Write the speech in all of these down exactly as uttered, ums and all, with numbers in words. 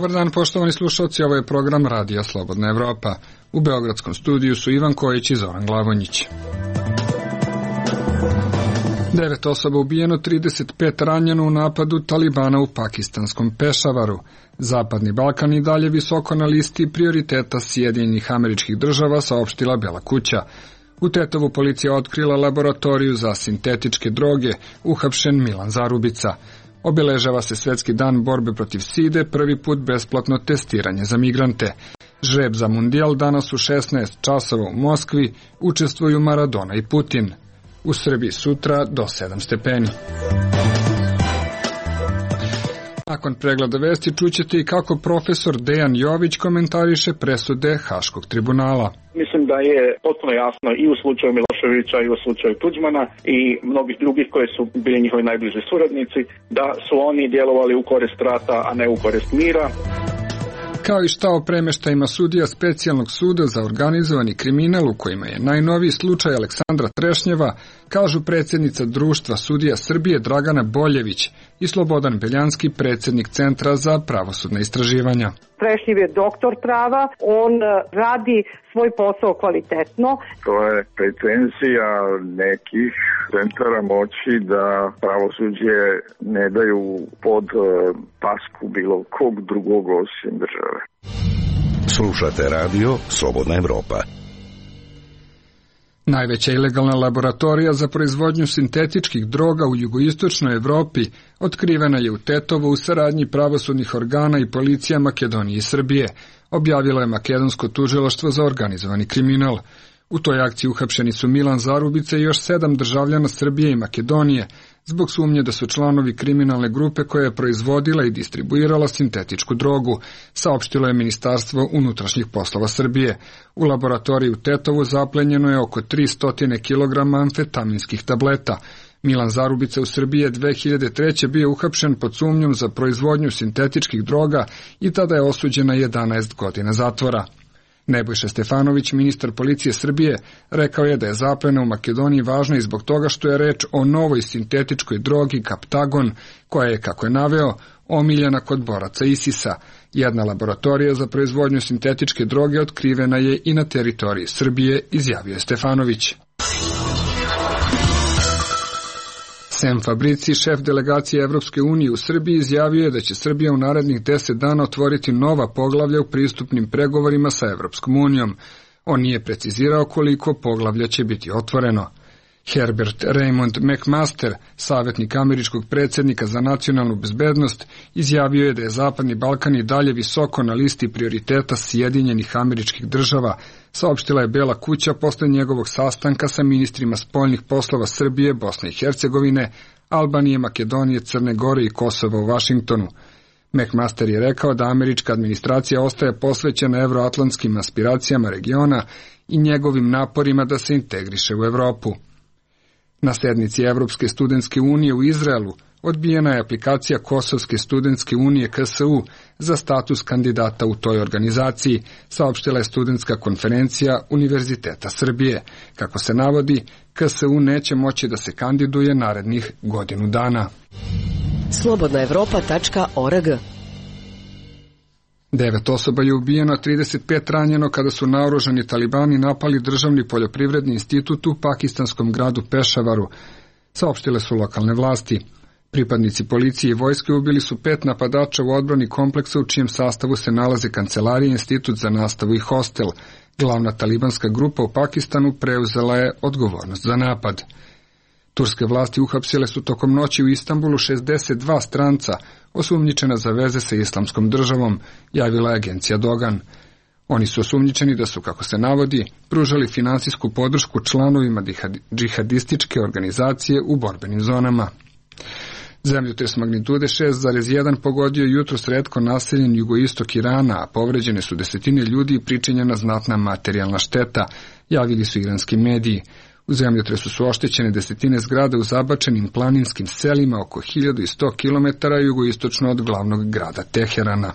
Dobar dan, poštovani slušalci, ovo je program Radija Slobodna Evropa. U beogradskom studiju su Ivan Kojić i Zoran Glavonjić. Devet osoba ubijeno, trideset pet ranjeno u napadu Talibana u pakistanskom Pešavaru. Zapadni Balkan i dalje visoko na listi prioriteta Sjedinjenih Američkih Država, saopštila Bela kuća. U Tetovu policija otkrila laboratoriju za sintetičke droge, uhapšen Milan Zarubica. Obeležava se Svetski dan borbe protiv side, prvi put besplatno testiranje za migrante. Žreb za mundijal danas u šesnaest časova u Moskvi, učestvuju Maradona i Putin. U Srbiji sutra do sedam stepeni. Nakon pregleda vesti čućete i kako profesor Dejan Jović komentariše presude Haškog tribunala. Mislim da je potpuno jasno i u slučaju Miloševića i u slučaju Tuđmana i mnogih drugih koji su bili njihovi najbliži suradnici, da su oni djelovali u korist rata, a ne u korist mira. Kao i šta o premeštajima sudija specijalnog suda za organizovani kriminal, u kojima je najnoviji slučaj Aleksandra Trešnjeva, kažu predsjednica Društva sudija Srbije Dragana Boljević i Slobodan Beljanski, predsjednik Centra za pravosudna istraživanja. Trešnjev je doktor prava, on radi svoj posao kvalitetno. To je pretenzija nekih centara moći da pravosuđe ne daju pod pasku bilo kog drugog osim države. Slušate radio Slobodna Evropa. Najveća ilegalna laboratorija za proizvodnju sintetičkih droga u jugoistočnoj Evropi otkrivena je u Tetovu u saradnji pravosudnih organa i policija Makedonije i Srbije, objavilo je makedonsko tužilaštvo za organizovani kriminal. U toj akciji uhapšeni su Milan Zarubica i još sedam državljana Srbije i Makedonije, zbog sumnje da su članovi kriminalne grupe koja je proizvodila i distribuirala sintetičku drogu, saopštilo je Ministarstvo unutrašnjih poslova Srbije. U laboratoriji u Tetovu zaplenjeno je oko tristo kilograma amfetaminskih tableta. Milan Zarubica u Srbiji je dve hiljade treće bio uhapšen pod sumnjom za proizvodnju sintetičkih droga i tada je osuđen na jedanaest godina zatvora. Nebojša Stefanović, ministar policije Srbije, rekao je da je zaplena u Makedoniji važna i zbog toga što je reč o novoj sintetičkoj drogi Kaptagon, koja je, kako je naveo, omiljena kod boraca ISIS-a. Jedna laboratorija za proizvodnju sintetičke droge otkrivena je i na teritoriji Srbije, izjavio je Stefanović. Sem Fabrici, šef delegacije Evropske unije u Srbiji, izjavio je da će Srbija u narednih deset dana otvoriti nova poglavlja u pristupnim pregovorima sa Evropskom unijom. On nije precizirao koliko poglavlja će biti otvoreno. Herbert Raymond McMaster, savjetnik američkog predsjednika za nacionalnu bezbednost, izjavio je da je Zapadni Balkan i dalje visoko na listi prioriteta Sjedinjenih Američkih Država, saopštila je Bela kuća posle njegovog sastanka sa ministrima spoljnih poslova Srbije, Bosne i Hercegovine, Albanije, Makedonije, Crne Gore i Kosova u Vašingtonu. McMaster je rekao da američka administracija ostaje posvećena evroatlantskim aspiracijama regiona i njegovim naporima da se integriše u Evropu. Na sednici Evropske studentske unije u Izraelu odbijena je aplikacija Kosovske studentske unije K S U za status kandidata u toj organizaciji, saopštila je studentska konferencija Univerziteta Srbije. Kako se navodi, K S U neće moći da se kandiduje narednih godinu dana. slobodna evropa tačka org. Devet osoba je ubijeno, trideset pet ranjeno kada su naoružani talibani napali državni poljoprivredni institut u pakistanskom gradu Pešavaru, saopštile su lokalne vlasti. Pripadnici policije i vojske ubili su pet napadača u odbrani kompleksa u čijem sastavu se nalaze kancelarija, institut za nastavu i hostel. Glavna talibanska grupa u Pakistanu preuzela je odgovornost za napad. Turske vlasti uhapsile su tokom noći u Istanbulu šezdeset dva stranca osumnjičena za veze sa islamskom državom, javila je agencija Dogan. Oni su osumnjičeni da su, kako se navodi, pružali finansijsku podršku članovima džihadističke organizacije u borbenim zonama. Zemljotres magnitude šest zarez jedan pogodio jutros retko naseljen jugoistok Irana, a povređene su desetine ljudi i pričinjena znatna materijalna šteta, javili su iranski mediji. U zemljotresu su oštećene desetine zgrada u zabačenim planinskim selima oko hiljadu sto kilometara jugoistočno od glavnog grada Teherana.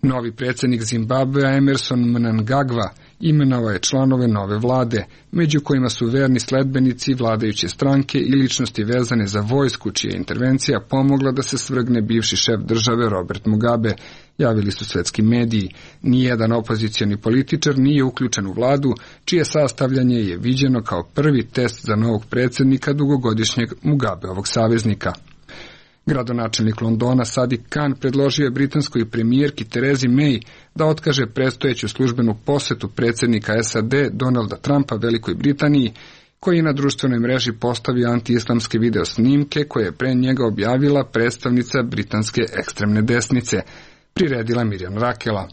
Novi predsjednik Zimbabvea Emerson Mnangagwa Imenovao je članove nove vlade, među kojima su verni sledbenici vladajuće stranke i ličnosti vezane za vojsku, čija je intervencija pomogla da se svrgne bivši šef države Robert Mugabe, javili su svetski mediji. Nijedan opozicioni političar nije uključen u vladu, čije sastavljanje je viđeno kao prvi test za novog predsjednika dugogodišnjeg Mugabeovog saveznika. Gradonačelnik Londona Sadiq Khan predložio je britanskoj premijerki Terezi May da otkaže predstojeću službenu posetu predsjednika S A D Donalda Trumpa Velikoj Britaniji, koji je na društvenoj mreži postavio anti-islamske video snimke koje je pre njega objavila predstavnica britanske ekstremne desnice, priredila Mirjam Rakela.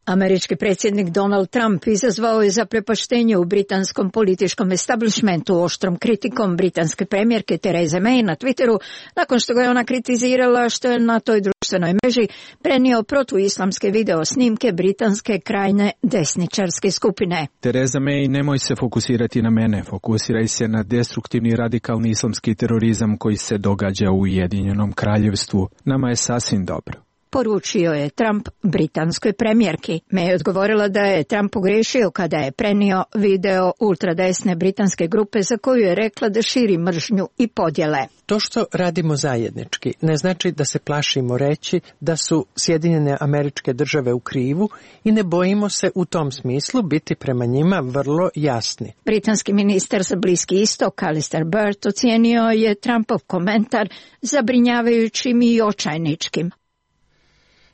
Američki predsjednik Donald Trump izazvao je zaprepaštenje u britanskom političkom establishmentu oštrom kritikom britanske premijerke Therese May na Twitteru, nakon što ga je ona kritizirala što je na toj društvenoj mreži prenio protuislamske video snimke britanske krajne desničarske skupine. Theresa May, nemoj se fokusirati na mene, fokusiraj se na destruktivni radikalni islamski terorizam koji se događa u Ujedinjenom kraljevstvu. Nama je sasvim dobro, poručio je Trump britanskoj premijerki. May je odgovorila da je Trump pogrešio kada je prenio video ultradesne britanske grupe za koju je rekla da širi mržnju i podjele. To što radimo zajednički ne znači da se plašimo reći da su Sjedinjene Američke Države u krivu i ne bojimo se u tom smislu biti prema njima vrlo jasni. Britanski ministar za Bliski istok Alistair Burt ocijenio je Trumpov komentar zabrinjavajućim i očajničkim.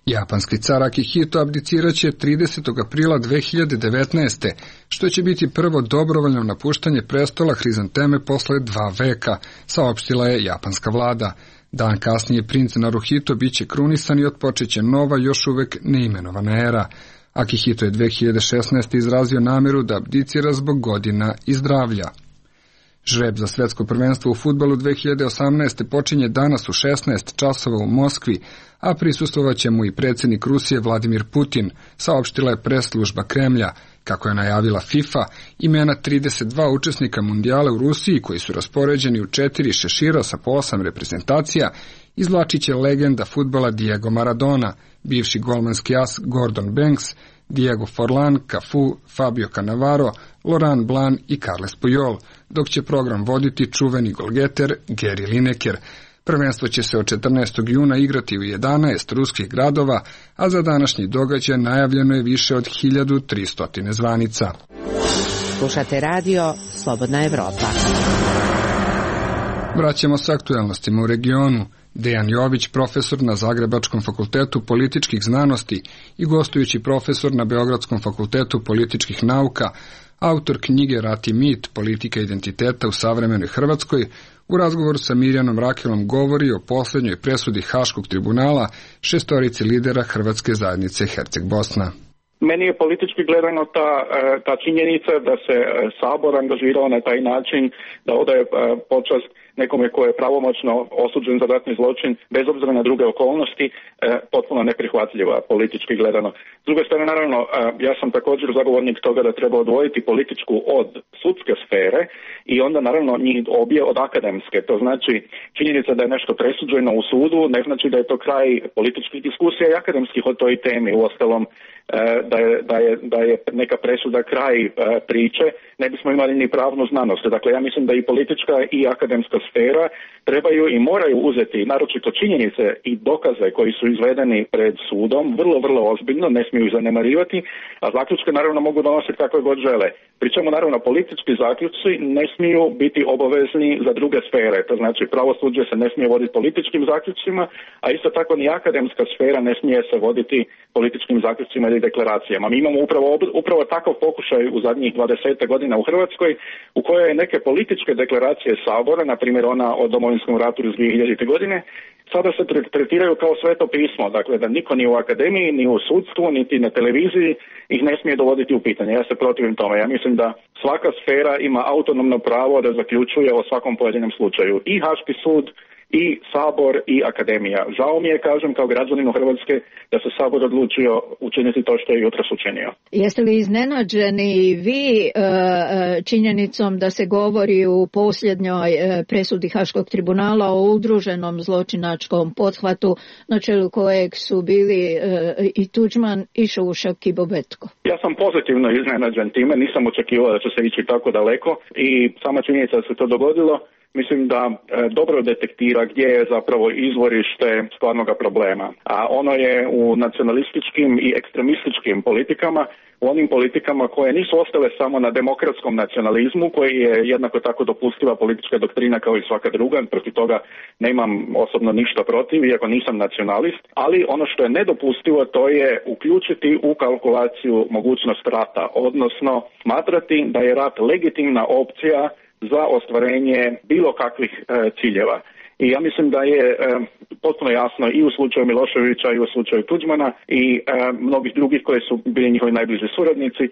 Japanski car Akihito abdiciraće tridesetog aprila dve hiljade devetnaeste. što će biti prvo dobrovoljno napuštanje prestola hrizanteme posle dva veka, saopštila je japanska vlada. Dan kasnije princ Naruhito biće krunisan i otpočeće nova, još uvek neimenovana era. Akihito je dve hiljade šesnaeste. izrazio nameru da abdicira zbog godina i zdravlja. Žreb za svetsko prvenstvo u fudbalu dve hiljade osamnaeste. počinje danas u šesnaest časova u Moskvi, a prisustvovaće mu i predsjednik Rusije Vladimir Putin, saopštila je press-služba Kremlja. Kako je najavila FIFA, imena trideset dva učesnika mundijala u Rusiji, koji su raspoređeni u četiri šešira sa po osam reprezentacija, izvlačit će legenda fudbala Diego Maradona, bivši golmanski as Gordon Banks, Diego Forlan, Cafu, Fabio Cannavaro, Laurent Blanc i Carles Puyol, dok će program voditi čuveni golgeter Gary Lineker. Prvenstvo će se od četrnaestog juna igrati u jedanaest ruskih gradova, a za današnji događaj najavljeno je više od hiljadu tristo zvanica. Slušate radio Slobodna Evropa. Vraćamo se aktuelnostima u regionu. Dejan Jović, profesor na Zagrebačkom fakultetu političkih znanosti i gostujući profesor na Beogradskom fakultetu političkih nauka, autor knjige Rat i mit, politika identiteta u savremenoj Hrvatskoj, u razgovoru sa Mirjanom Rakelom govori o posljednjoj presudi Haškog tribunala šestorici lidera Hrvatske zajednice Herceg Bosna. Meni je politički gledano ta, ta činjenica da se Sabor angažirao na taj način da odaje počast nekome ko je pravomoćno osuđen za ratni zločin, bez obzira na druge okolnosti, potpuno neprihvatljiva politički gledano. S druge strane, naravno, ja sam također zagovornik toga da treba odvojiti političku od sudske sfere i onda naravno njih obje od akademske. To znači činjenica da je nešto presuđeno u sudu, ne znači da je to kraj političkih diskusija i akademskih o toj temi. Uostalom, da je, da je, da je neka presuda kraj priče, ne bismo imali ni pravnu znanost. Dakle, ja mislim da i politička i akademska sfera trebaju i moraju uzeti naročito činjenice i dokaze koji su izvedeni pred sudom vrlo, vrlo ozbiljno, ne smiju ih zanemarivati, a zaključke naravno mogu donositi kako god žele. Pričamo naravno politički zaključci ne smiju biti obavezni za druge sfere, to znači pravosuđe se ne smije voditi političkim zaključcima, a isto tako ni akademska sfera ne smije se voditi političkim zaključcima ili deklaracijama. Mi imamo upravo, upravo takav pokušaj u zadnjih dvadeset godina u Hrvatskoj, u kojoj neke političke deklaracije Sabora, na primjer ona o Domovinskom ratu iz dvije hiljadite. godine, sada se tretiraju kao sveto pismo, dakle da niko ni u akademiji, ni u sudstvu, niti na televiziji ih ne smije dovoditi u pitanje. Ja se protivim tome. Ja mislim da svaka sfera ima autonomno pravo da zaključuje o svakom pojedinom slučaju. I Haški sud i Sabor i Akademija. Žao mi je, kažem, kao građaninu Hrvatske da se Sabor odlučio učiniti to što je jutros učinio. Jeste li iznenađeni vi e, činjenicom da se govori u posljednjoj e, presudi Haškog tribunala o udruženom zločinačkom pothvatu na čelu kojeg su bili e, i Tuđman i Šušak i Bobetko? Ja sam pozitivno iznenađen time, nisam očekivao da će se ići tako daleko i sama činjenica da se to dogodilo, mislim da e, dobro detektira gdje je zapravo izvorište stvarnoga problema. A ono je u nacionalističkim i ekstremističkim politikama, u onim politikama koje nisu ostale samo na demokratskom nacionalizmu, koji je jednako tako dopustiva politička doktrina kao i svaka druga, protiv toga nemam osobno ništa protiv, iako nisam nacionalist, ali ono što je nedopustivo to je uključiti u kalkulaciju mogućnost rata, odnosno smatrati da je rat legitimna opcija za ostvarenje bilo kakvih e, ciljeva. I ja mislim da je e, potpuno jasno i u slučaju Miloševića i u slučaju Tuđmana i e, mnogih drugih koji su bili njihovi najbliži suradnici,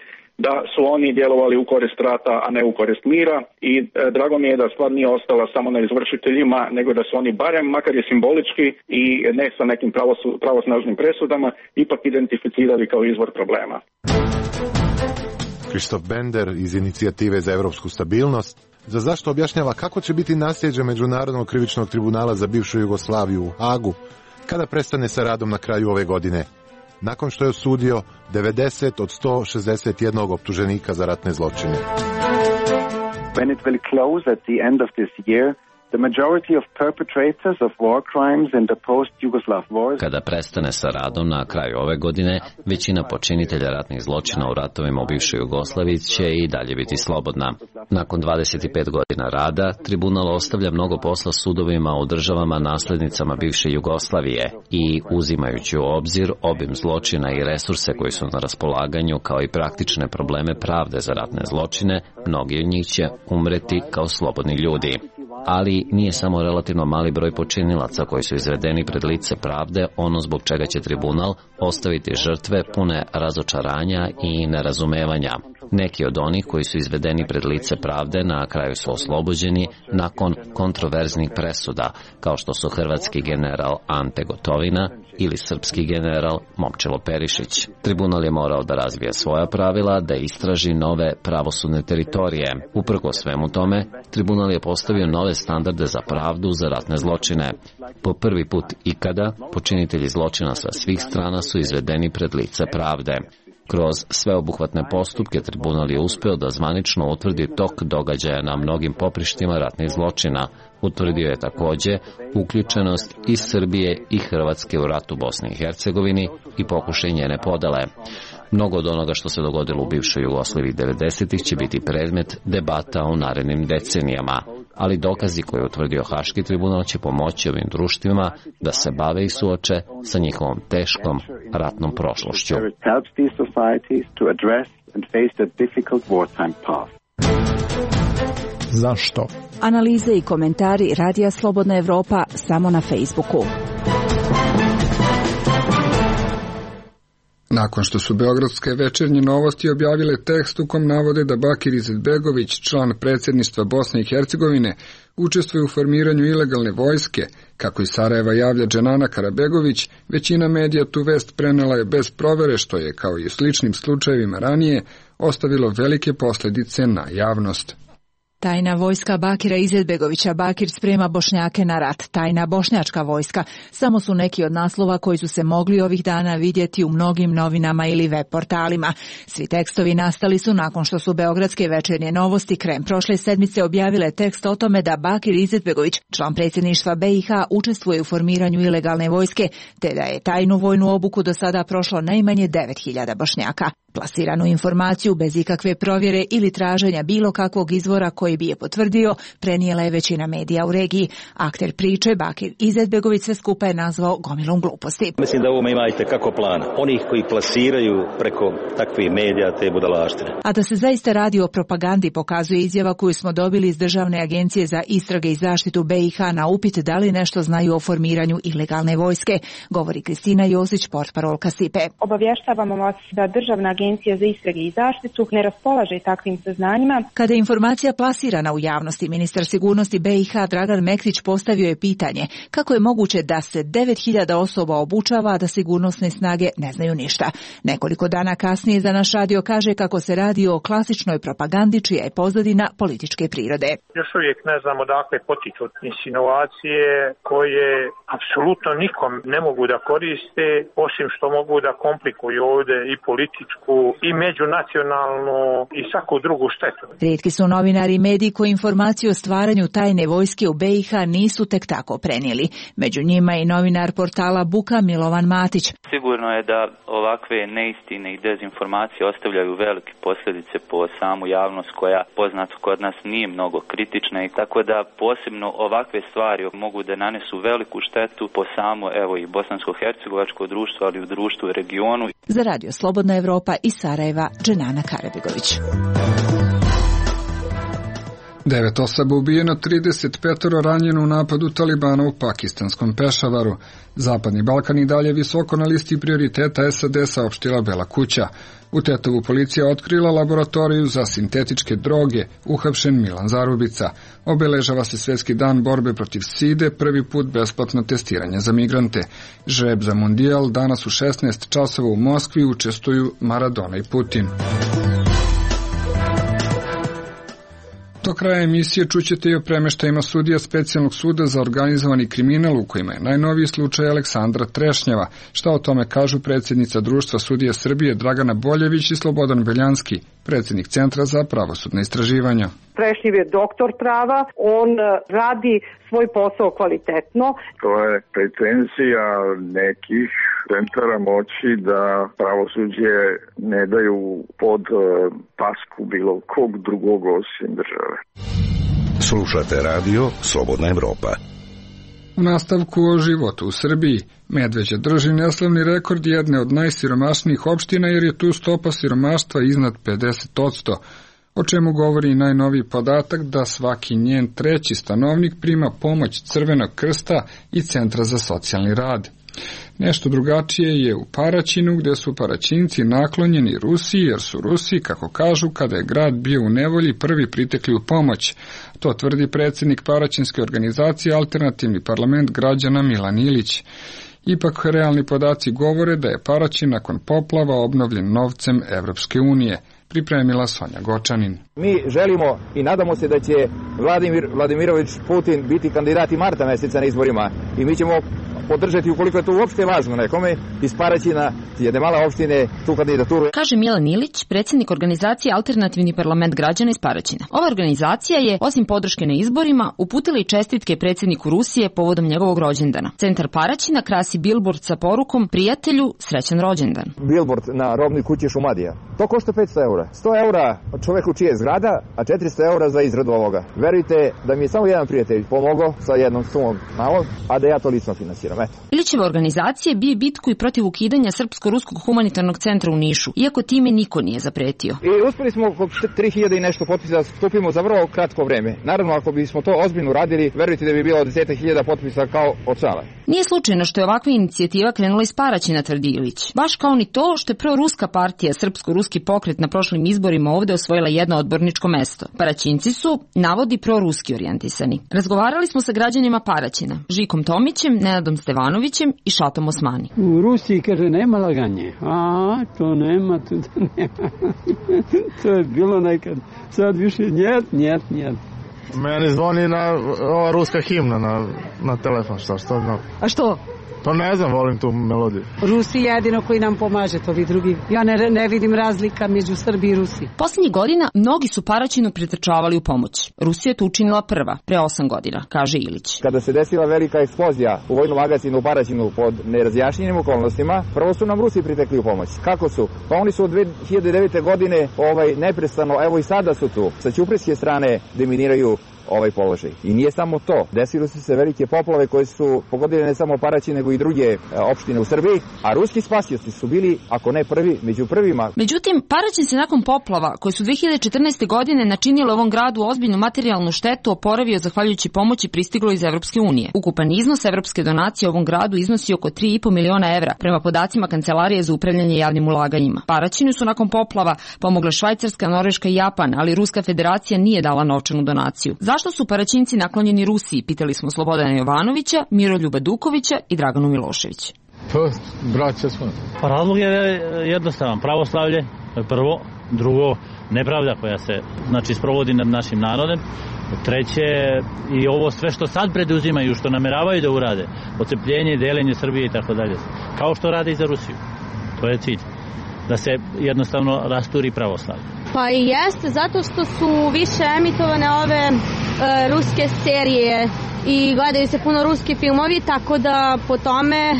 da su oni djelovali u korist rata, a ne u korist mira i e, drago mi je da stvar nije ostala samo na izvršiteljima, nego da su oni barem, makar je simbolički i ne sa nekim pravosu, pravosnažnim presudama, ipak identificirali kao izvor problema. Krištof Bender iz Inicijative za evropsku stabilnost za zašto objašnjava kako će biti nasljeđe Međunarodnog krivičnog tribunala za bivšu Jugoslaviju u Hagu kada prestane sa radom na kraju ove godine, nakon što je osudio devedeset od sto šezdeset jedan optuženika za ratne zločine. When it will close at the end of this year, the majority of perpetrators of war crimes in the post-Yugoslav wars. Kada prestane sa radom na kraju ove godine, većina počinitelja ratnih zločina u ratovima u bivšoj Jugoslaviji će i dalje biti slobodna. Nakon dvadeset pet godina rada, tribunal ostavlja mnogo posla sudovima u državama naslednicama bivše Jugoslavije i, uzimajući u obzir obim zločina i resurse koji su na raspolaganju, kao i praktične probleme pravde za ratne zločine, mnogi od njih će umreti kao slobodni ljudi. Ali nije samo relativno mali broj počinilaca koji su izvedeni pred lice pravde ono zbog čega će tribunal ostaviti žrtve pune razočaranja i nerazumevanja. Neki od onih koji su izvedeni pred lice pravde na kraju su oslobođeni nakon kontroverznih presuda, kao što su hrvatski general Ante Gotovina ili srpski general Momčilo Perišić. Tribunal je morao da razvije svoja pravila, da istraži nove pravosudne teritorije. Uprkos svemu tome, tribunal je postavio nove standarde za pravdu za ratne zločine. Po prvi put ikada, počinitelji zločina sa svih strana su izvedeni pred lice pravde. Kroz sveobuhvatne postupke tribunal je uspeo da zvanično utvrdi tok događaja na mnogim poprištima ratnih zločina. Utvrdio je takođe uključenost i Srbije i Hrvatske u ratu Bosni i Hercegovini i pokušaj njene podele. Mnogo od onoga što se dogodilo u bivšoj Jugoslaviji devedesetih će biti predmet debata u narednim decenijama, ali dokazi koje je utvrdio Haški tribunal će pomoći ovim društvima da se bave i suoče sa njihovom teškom ratnom prošlošću. Zašto? Analize i komentari Radija Slobodna Evropa samo na Facebooku. Nakon što su beogradske večernje novosti objavile tekst u kom navode da Bakir Izetbegović, član predsjedništva Bosne i Hercegovine, učestvuje u formiranju ilegalne vojske, kako iz Sarajeva javlja Dženana Karabegović, većina medija tu vest prenela je bez provere, što je, kao i u sličnim slučajevima ranije, ostavilo velike posljedice na javnost. Tajna vojska Bakira Izetbegovića. Bakir sprema Bošnjake na rat. Tajna bošnjačka vojska. Samo su neki od naslova koji su se mogli ovih dana vidjeti u mnogim novinama ili web portalima. Svi tekstovi nastali su nakon što su beogradske večernje novosti krajem prošle sedmice objavile tekst o tome da Bakir Izetbegović, član predsjedništva B i H, učestvuje u formiranju ilegalne vojske, te da je tajnu vojnu obuku do sada prošlo najmanje devet hiljada Bošnjaka. Plasiranu informaciju bez ikakve provjere ili traženja bilo kakvog izvora koji bi je potvrdio, prenijela je većina medija u regiji. Akter priče, Bakir Izetbegović, sve skupa je nazvao gomilom gluposti. Mislim da ovo imate kako plan. Onih koji plasiraju preko takvih medija te budalaštine. A da se zaista radi o propagandi pokazuje izjava koju smo dobili iz Državne agencije za istrage i zaštitu B i H na upit da li nešto znaju o formiranju ilegalne vojske, govori Kristina Josić, portparolka Sipe. Obavještavamo vas da Državna agencija Agencija za istrage i zaštitu ne raspolaže takvim saznanjima. Kada je informacija plasirana u javnosti, ministar sigurnosti B i H Dragan Mektić postavio je pitanje kako je moguće da se devet hiljada osoba obučava, a da sigurnosne snage ne znaju ništa. Nekoliko dana kasnije za naš radio kaže kako se radi o klasičnoj propagandi čija je pozadina političke prirode. Još uvijek ne znamo dakle potiču insinuacije koje apsolutno nikom ne mogu da koriste, osim što mogu da komplikuju ovdje i političku i međunacionalnu i svaku drugu štetu. Rijetki su novinari i mediji koji informaciju o stvaranju tajne vojske u B i H nisu tek tako prenijeli. Među njima i novinar portala Buka Milovan Matić. Sigurno je da ovakve neistine i dezinformacije ostavljaju velike posljedice po samu javnost koja poznato kod nas nije mnogo kritična i tako da posebno ovakve stvari mogu da nanesu veliku štetu po samo evo i bosansko-hercegovačko društvo, ali i u društvu i regionu. Za radio Slobodna Evropa iz Sarajeva, Dženana Karabegović. Devet osoba ubijeno, trideset pet ranjeno u napadu Talibana u pakistanskom Pešavaru. Zapadni Balkan i dalje visoko na listi prioriteta S A D, saopštila Bela kuća. U Tetovu policija otkrila laboratoriju za sintetičke droge, uhapšen Milan Zarubica. Obeležava se Svjetski dan borbe protiv side, prvi put besplatno testiranje za migrante. Žreb za mundijal danas u šesnaest časova u Moskvi učestvuju Maradona i Putin. Do kraja emisije čućete i o premeštajima sudija Specijalnog suda za organizovani kriminal u kojima je najnoviji slučaj Aleksandra Trešnjeva. Šta o tome kažu predsjednica Društva sudija Srbije Dragana Boljević i Slobodan Beljanski, predsjednik Centra za pravosudna istraživanja. Trešnjev je doktor prava, on radi svoj posao kvalitetno. To je pretenzija nekih centara moći da pravosuđe ne daju pod pasku bilo kog drugog osim države. Slušate radio Slobodna Evropa. U nastavku o životu u Srbiji, Medveđa drži neslavni rekord jedne od najsiromašnijih opština jer je tu stopa siromaštva iznad pedeset posto, o čemu govori i najnoviji podatak da svaki njen treći stanovnik prima pomoć Crvenog krsta i Centra za socijalni rad. Nešto drugačije je u Paraćinu, gde su Paraćinci naklonjeni Rusiji, jer su Rusi, kako kažu, kada je grad bio u nevolji, prvi pritekli u pomoć. To tvrdi predsjednik Paraćinske organizacije Alternativni parlament građana Milan Ilić. Ipak realni podaci govore da je Paraćin nakon poplava obnovljen novcem Evropske unije. Pripremila Sonja Gočanin. Mi želimo i nadamo se da će Vladimir Vladimirović Putin biti kandidat i marta meseca na izborima i mi ćemo podržati ukoliko je to uopšte važno nekome iz Paraćina, jedne male opštine, tu kandidaturu. Kaže Milan Ilić, predsjednik organizacije Alternativni parlament građana iz Paraćina. Ova organizacija je, osim podrške na izborima, uputila i čestitke predsjedniku Rusije povodom njegovog rođendana. Centar Paraćina krasi bilbord sa porukom prijatelju srećan rođendan. Bilbord na robnoj kući Šumadija. To košta petsto eura. sto eura čoveku čije je zgrada, a četiristo eura za izradu ovoga. Verujte da mi je samo jedan prijatelj pomogao sa jednom sumom malom, a da ja to lično finansiram. Ilićeva organizacija bije bitku i protiv ukidanja Srpsko-ruskog humanitarnog centra u Nišu, iako time niko nije zapretio. I uspeli smo oko tri hiljade i nešto potpisa da skupimo za vrlo kratko vreme. Naravno, ako bismo to ozbiljno radili, verujte da bi bilo deset hiljada potpisa kao od sala. Nije slučajno što je ovakva inicijativa krenula iz Paraćina, tvrdi Ilić. Baš kao ni to što je proruska partija Srpsko-ruski pokret na prošlim izborima ovde osvojila jedno odborničko mesto. Paraćinci su, navodi, proruski orijentisani. Razgovarali smo sa građanima Paraćina, Žikom Tomićem, Nenadom Stevanovićem i Šatom Osmani. U Rusiji, kaže, nema laganje. A, to nema, to nema. To je bilo nekad. Sad više njet, njet, njet. Meni zvoni na ova ruska himna na, na telefon, šta što znam. A što? To ne znam, volim tu melodiju. Rusi jedino koji nam pomaže, to vi drugi. Ja ne, ne vidim razlika među Srbiji i Rusiji. Posljednjih godina mnogi su Paraćinu pretrčavali u pomoć. Rusija je to učinila prva, pre osam godina, kaže Ilić. Kada se desila velika eksplozija u vojnom magazinu u Paraćinu pod nerazjašnjenim okolnostima, prvo su nam Rusi pritekli u pomoć. Kako su? Pa oni su od dve hiljade devete godine ovaj, neprestano, evo i sada su tu. Sa ćuprijske strane deminiraju ovaj položaj. I nije samo to. Desile su se velike poplave koje su pogodile ne samo Paraćin, nego i druge opštine u Srbiji, a ruski spasioci su bili, ako ne prvi, među prvima. Međutim, Paraćin se nakon poplava, koje su dve hiljade četrnaeste. godine načinile ovom gradu ozbiljnu materijalnu štetu, oporavio zahvaljujući pomoći pristiglo iz Evropske unije. Ukupan iznos evropske donacije ovom gradu iznosi oko tri i po miliona evra, prema podacima Kancelarije za upravljanje javnim ulaganjima. Paraćinu su nakon poplava pomogle Švajcarska, Norveška i Japan, ali Ruska federacija nije dala novčanu donaciju. Zašto su Paraćinci naklonjeni Rusiji, pitali smo Slobodana Jovanovića, Miroljuba Dukovića i Draganu Milošević. Pa, braća smo. Pa razlog je jednostavan. Pravoslavlje, prvo. Drugo, nepravda koja se znači sprovodi nad našim narodom. Treće, i ovo sve što sad preduzimaju, što nameravaju da urade, odcepljenje, delenje Srbije i tako dalje. Kao što rade i za Rusiju. To je cilj. Da se jednostavno rasturi pravoslavlje. Pa i jeste, zato što su više emitovane ove e, ruske serije i gledaju se puno ruski filmovi, tako da po tome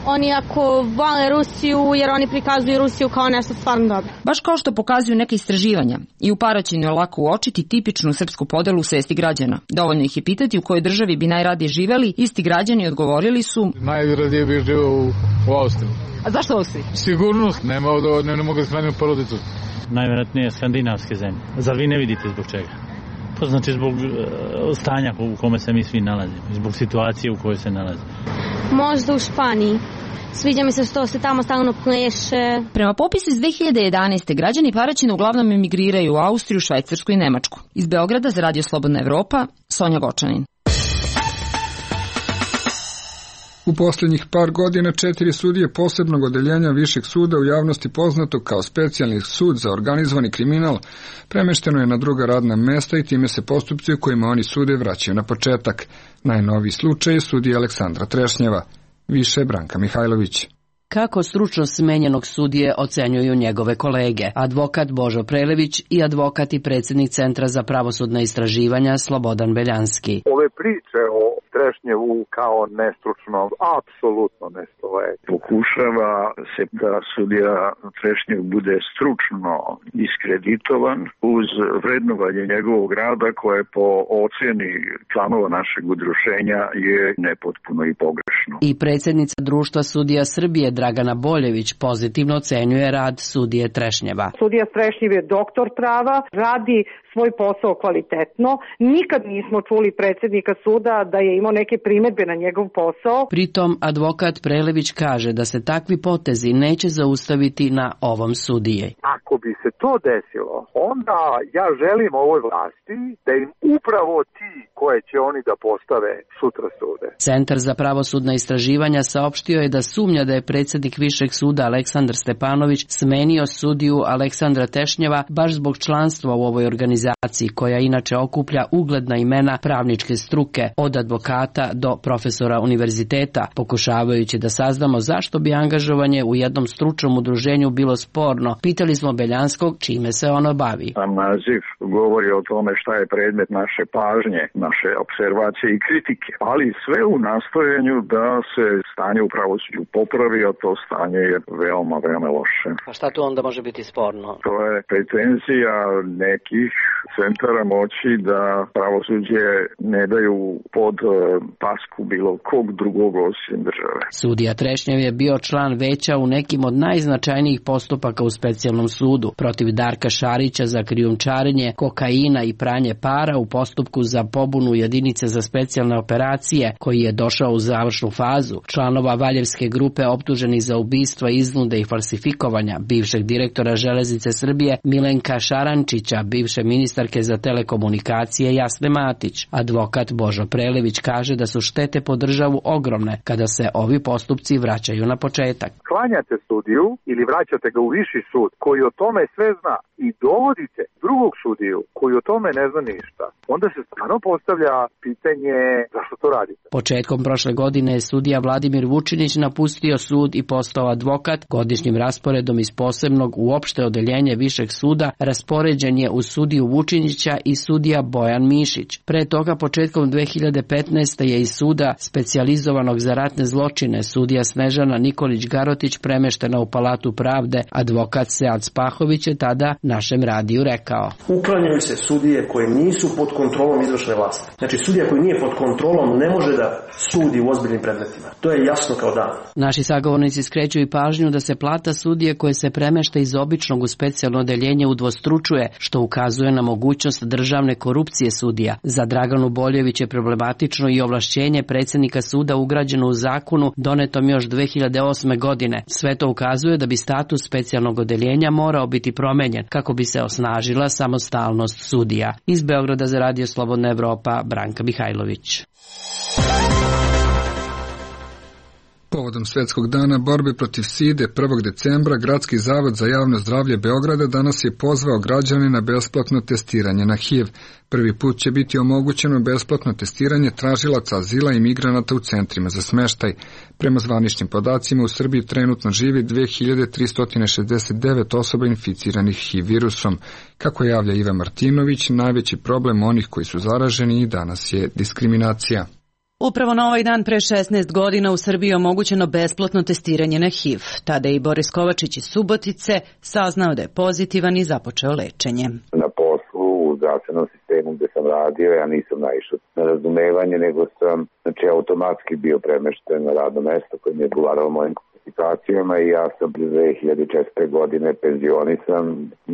oni ako vole Rusiju, jer oni prikazuju Rusiju kao nešto stvarno dobro. Baš kao što pokazuju neke istraživanja, i u Paraćinu je lako uočiti tipičnu srpsku podelu u svesti građana. Dovoljno ih je pitati u kojoj državi bi najradije živeli, isti građani odgovorili su: najradije bi živeo u, u Austriji. A zašto Austriji? Sigurnost, nema od, ne, ne mogu da shraniti porodicu. Najvjerojatnije skandinavske zemlje. Zar vi ne vidite zbog čega? To znači zbog stanja u kome se mi svi nalazimo, zbog situacije u kojoj se nalazimo. Možda u Španiji. Sviđa mi se što se tamo stalno pleše. Prema popisu iz dve hiljade jedanaeste. građani Paraćina uglavnom emigriraju u Austriju, Švajcarsku i Nemačku. Iz Beograda za Radio Slobodna Evropa, Sonja Gočanin. U posljednjih par godina četiri sudije posebnog odeljenja Višeg suda, u javnosti poznato kao specijalni sud za organizovani kriminal, premešteno je na druga radna mesta i time se postupci u kojima oni sude vraćaju na početak. Najnoviji slučaj je sudija Aleksandra Trešnjeva. Više Branka Mihajlović. Kako stručnost smenjenog sudije ocenjuju njegove kolege, advokat Božo Prelević i advokat i predsjednik Centra za pravosudna istraživanja Slobodan Beljanski. Ove priče o Trešnjevu kao nestručnom apsolutno ne stoje. Pokušava se da sudija Trešnjev bude stručno diskreditovan uz vrednovanje njegovog rada koje po ocjeni članova našeg udruženja je nepotpuno i pogrešno. I predsjednica Društva sudija Srbije Dragana Boljević pozitivno ocenjuje rad sudije Trešnjeva. Sudija Trešnjev je doktor prava, radi svoj posao kvalitetno. Nikad nismo čuli predsjednika suda da je imao neke primjedbe na njegov posao. Pritom advokat Prelević kaže da se takvi potezi neće zaustaviti na ovom sudiji. Ako bi se to desilo, onda ja želim ovoj vlasti da im upravo ti koje će oni da postave sutra sude. Centar za pravosudna istraživanja saopštio je da sumnja da je predsjednik Višeg suda Aleksandar Stepanović smenio sudiju Aleksandra Trešnjeva baš zbog članstva u ovoj organizaciji, koja inače okuplja ugledna imena pravničke struke, od advokata do profesora univerziteta, pokušavajući da saznamo zašto bi angažovanje u jednom stručnom udruženju bilo sporno. Pitali smo Beljanskog čime se ono bavi. Sam naziv govori o tome šta je predmet naše pažnje, naše observacije i kritike, ali sve u nastojanju da se stanje u pravosuđu popravi, a to stanje je veoma, veoma loše. A šta tu onda može biti sporno? To je pretenzija nekih centara moći da pravosuđe ne daju pod pasku bilo kog drugog osim države. Sudija Trešnjev je bio član veća u nekim od najznačajnijih postupaka u specijalnom sudu protiv Darka Šarića za krijumčarenje kokaina i pranje para u postupku za pobunu jedinice za specijalne operacije koji je došao u završnu fazu, članova Valjevske grupe optuženih za ubistva, iznude i falsifikovanja, bivšeg direktora Železnice Srbije Milenka Šarančića, bivše ministarke za telekomunikacije Jasne Matić. Advokat Božo Prelević kaže da su štete po državu ogromne kada se ovi postupci vraćaju na početak. Klanjate sudiju ili vraćate ga u viši sud koji o tome sve zna i dovodite drugog sudiju koji o tome ne zna ništa. Onda se stvarno postavlja pitanje zašto to radite. Početkom prošle godine je sudija Vladimir Vučinić napustio sud i postao advokat. Godišnjim rasporedom iz posebnog u opšte odeljenje Višeg suda raspoređen je uz sudiju Vučinića i sudija Bojan Mišić. Pre toga početkom dve hiljade petnaeste. je iz suda specijalizovanog za ratne zločine sudija Snežana Nikolić Garotić premeštena u Palatu pravde. Advokat Sead Spahović je tada našem radiju rekao. Uklanjaju se sudije koje nisu pod kontrolom izvršne vlasti. Znači sudija koji nije pod kontrolom ne može da sudi u ozbiljnim predmetima. To je jasno kao dan. Naši sagovornici skreću i pažnju da se plata sudije koje se premešta iz običnog u specijalno odeljenje udvostručuje, što ukazuje na mogućnost državne korupcije sudija. Za Draganu Boljević je problematično i ovlašćenje predsjednika suda ugrađeno u zakonu donetom još dve hiljade osme. godine. Sve to ukazuje da bi status specijalnog odeljenja morao biti promenjen kako bi se osnažila samostalnost sudija. Iz Beograda za Radio Slobodna Evropa, Branka Mihajlović. Povodom Svetskog dana borbe protiv side prvog decembra, Gradski zavod za javno zdravlje Beograda danas je pozvao građane na besplatno testiranje na H I V. Prvi put će biti omogućeno besplatno testiranje tražilaca azila i migranata u centrima za smeštaj. Prema zvaničnim podacima u Srbiji trenutno živi dve hiljade tristo šezdeset devet osoba inficiranih H I V virusom. Kako javlja Iva Martinović, najveći problem onih koji su zaraženi i danas je diskriminacija. Upravo na ovaj dan pre šesnaest godina u Srbiji je omogućeno besplatno testiranje na H I V. Tada je i Boris Kovačić iz Subotice saznao da je pozitivan i započeo lečenje. Na poslu u zdravstvenom sistemu gde sam radio, ja nisam naišao na razumevanje, nego sam znači, automatski bio premešten na radno mesto koje mi je odgovaralo mojim kvalifikacijama i ja sam dve hiljade četvrte. godine penzionisan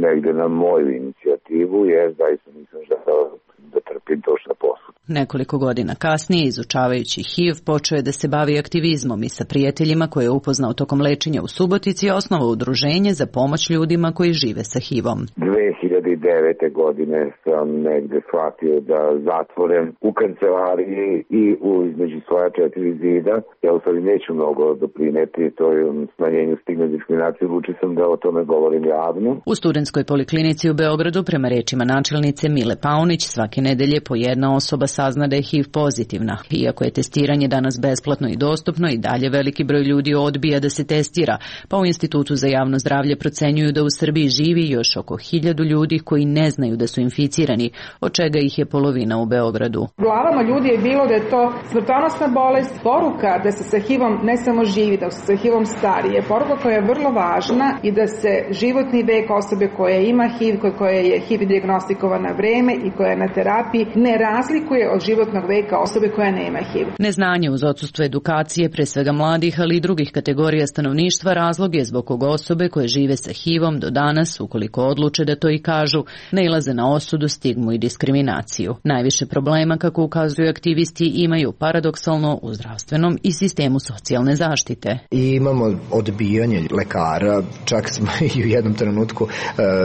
negde na moju inicijativu, jer zaista nisam želeo da trpim to što na poslu. Nekoliko godina kasnije, izučavajući H I V, počeo je da se bavi aktivizmom i sa prijateljima koje je upoznao tokom lečenja u Subotici je osnovao udruženje za pomoć ljudima koji žive sa H I V-om. dve hiljade devete. godine sam negde shvatio da zatvorem u kancelariji i u između svoja četiri zida. Ja u stvari neću mnogo doprineti toj smanjenju stigme diskriminacije, odlučio sam da o tome govorim javno. U studentskoj poliklinici u Beogradu, prema rečima načelnice Mile Paunić, svake nedelje po jedna osoba sazna da je H I V pozitivna. Iako je testiranje danas besplatno i dostupno, i dalje veliki broj ljudi odbija da se testira, pa u Institutu za javno zdravlje procenjuju da u Srbiji živi još oko hiljadu ljudi koji ne znaju da su inficirani, od čega ih je polovina u Beogradu. U glavama ljudi je bilo da je to smrtonosna bolest, poruka da se sa H I V-om ne samo živi, da se sa H I V-om stari, je poruka koja je vrlo važna i da se životni vek osobe koja ima H I V, koja je H I V dijagnostikovana vreme i koja je na terapiji, ne razlikuje od životnog veka osobe koja nema H I V. Neznanje uz odsustvo edukacije, pre svega mladih, ali i drugih kategorija stanovništva, razlog je zbog koga osobe koje žive sa H I V-om do danas, ukoliko odluče da to i kažu, nailaze na osudu, stigmu i diskriminaciju. Najviše problema, kako ukazuju aktivisti, imaju paradoksalno u zdravstvenom i sistemu socijalne zaštite. I imamo odbijanje lekara, čak smo i u jednom trenutku uh,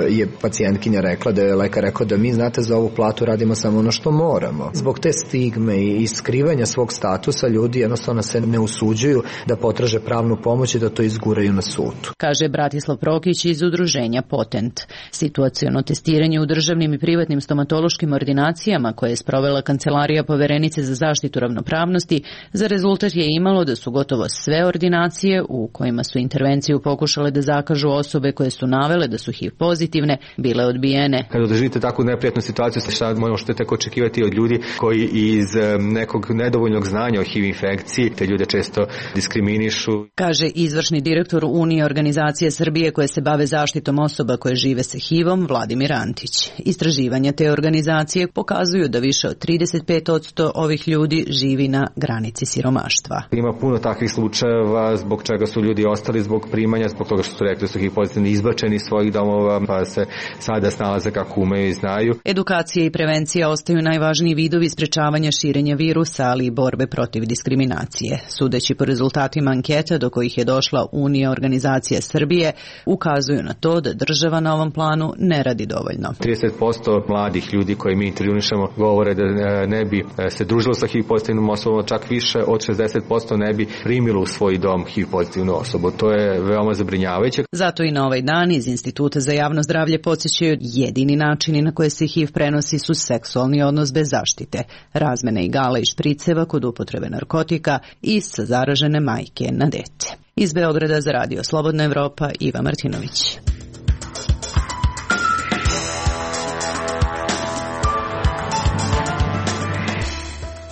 je pacijentkinja rekla da je lekar rekao da mi, znate, za ovu platu radimo samo ono što moramo. Zbog te stigme i skrivanja svog statusa ljudi jednostavno se ne usuđuju da potraže pravnu pomoć i da to izguraju na sudu. Kaže Bratislav Prokić iz udruženja Potent. Situaciono testiranje u državnim i privatnim stomatološkim ordinacijama koje je sprovela Kancelarija Poverenice za zaštitu ravnopravnosti, za rezultat je imalo da su gotovo sve ordinacije u kojima su intervenciju pokušale da zakažu osobe koje su navele da su H I V pozitivne, bile odbijene. Kada doživite takvu neprijatnu situaciju, šta možete tako očekivati od ljudi koji iz nekog nedovoljnog znanja o H I V infekciji te ljude često diskriminišu. Kaže izvršni direktor Unije organizacije Srbije koje se bave zaštitom osoba koje žive sa H I V-om, Vladimir Antić. Istraživanja te organizacije pokazuju da više od trideset pet posto ovih ljudi živi na granici siromaštva. Ima puno takvih slučajeva zbog čega su ljudi ostali zbog primanja, zbog toga što su rekli da su H I V pozitivni, izbačeni iz svojih domova, pa se sada snalaze kako umeju i znaju. Edukacija i prevencija ostaju najvažniji vidovi sprečavanja širenja virusa, ali i borbe protiv diskriminacije. Sudeći po rezultatima anketa do kojih je došla Unija organizacija Srbije, ukazuju na to da država na ovom planu ne radi dovoljno. trideset posto mladih ljudi koje mi intervjunišemo govore da ne bi se družilo sa H I V pozitivnom osobom, čak više od šezdeset posto ne bi primilo u svoj dom H I V pozitivnu osobu. To je veoma zabrinjavajuće. Zato i na ovaj dan iz Instituta za javno zdravlje podsjećaju jedini načini na koje se H I V prenosi su seksualni odnos bez zaštite, razmene igala i špriceva kod upotrebe narkotika i sa zaražene majke na dete. Iz Beograda za Radio Slobodna Evropa, Iva Martinović.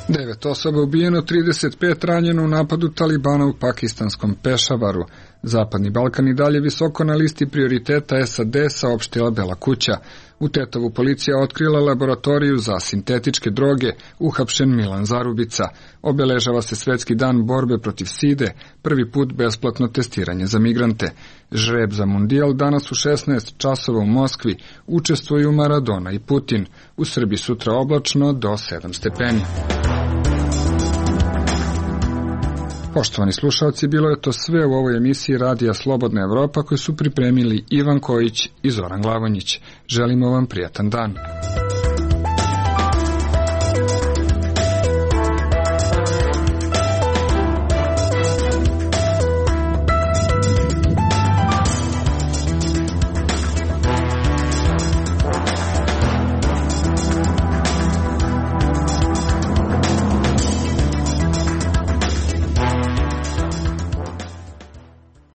Devet osoba ubijeno, trideset pet ranjeno u napadu Talibana u pakistanskom Pešavaru. Zapadni Balkan i dalje visoko na listi prioriteta S A D, saopštila Bela kuća. U Tetovu policija otkrila laboratoriju za sintetičke droge, uhapšen Milan Zarubica. Obeležava se Svetski dan borbe protiv side, prvi put besplatno testiranje za migrante. Žreb za mundijal danas u šesnaest časova u Moskvi, učestvuju Maradona i Putin. U Srbiji sutra oblačno do sedam stepeni. Poštovani slušalci, bilo je to sve u ovoj emisiji Radija Slobodna Evropa koju su pripremili Ivan Kojić i Zoran Glavonjić. Želimo vam prijatan dan.